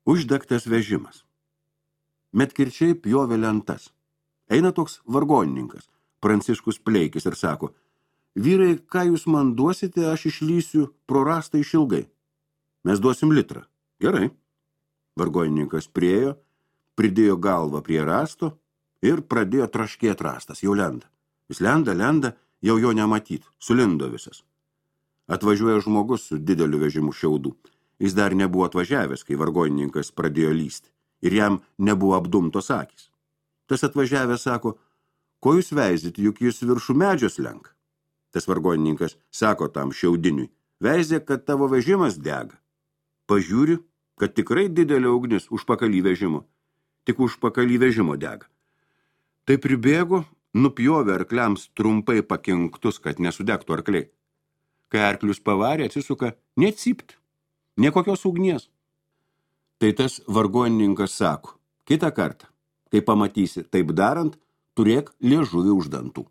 Uždegtas vežimas. Medkirčiai pjovė lentas. Eina toks vargonininkas, Pranciškus Pleikis, ir sako, vyrai, ką jūs man duosite, aš išlysiu pro rastą išilgai. Mes duosim litrą. Gerai. Vargonininkas priejo, pridėjo galvą prie rasto ir pradėjo traškėt rastas, jau lenda. Jis lenda, jau jo nematyt, sulindo visas. Atvažiuoja žmogus su dideliu vežimu šiaudų. Jis dar nebuvo atvažiavęs, kai vargonininkas pradėjo lysti, ir jam nebuvo apdumtos akys. Tas atvažiavęs sako, ko jūs veizit, juk jūs viršų medžio slenka. Tas vargonininkas sako tam šiaudiniui, veizė, kad tavo vežimas dega. Pažiūri, kad tikrai didelė ugnis užpakalį vežimo, tik užpakalį vežimo dega. Tai pribėgo, nupjovė arkliams trumpai pakinktus, kad nesudegtų arkliai. Kai arklius pavarė, atsisuka, necypt, nekokios ugnies. Tai tas vargonininkas sako, kitą kartą, kai pamatysi taip darant, turėk liežuvį už dantų.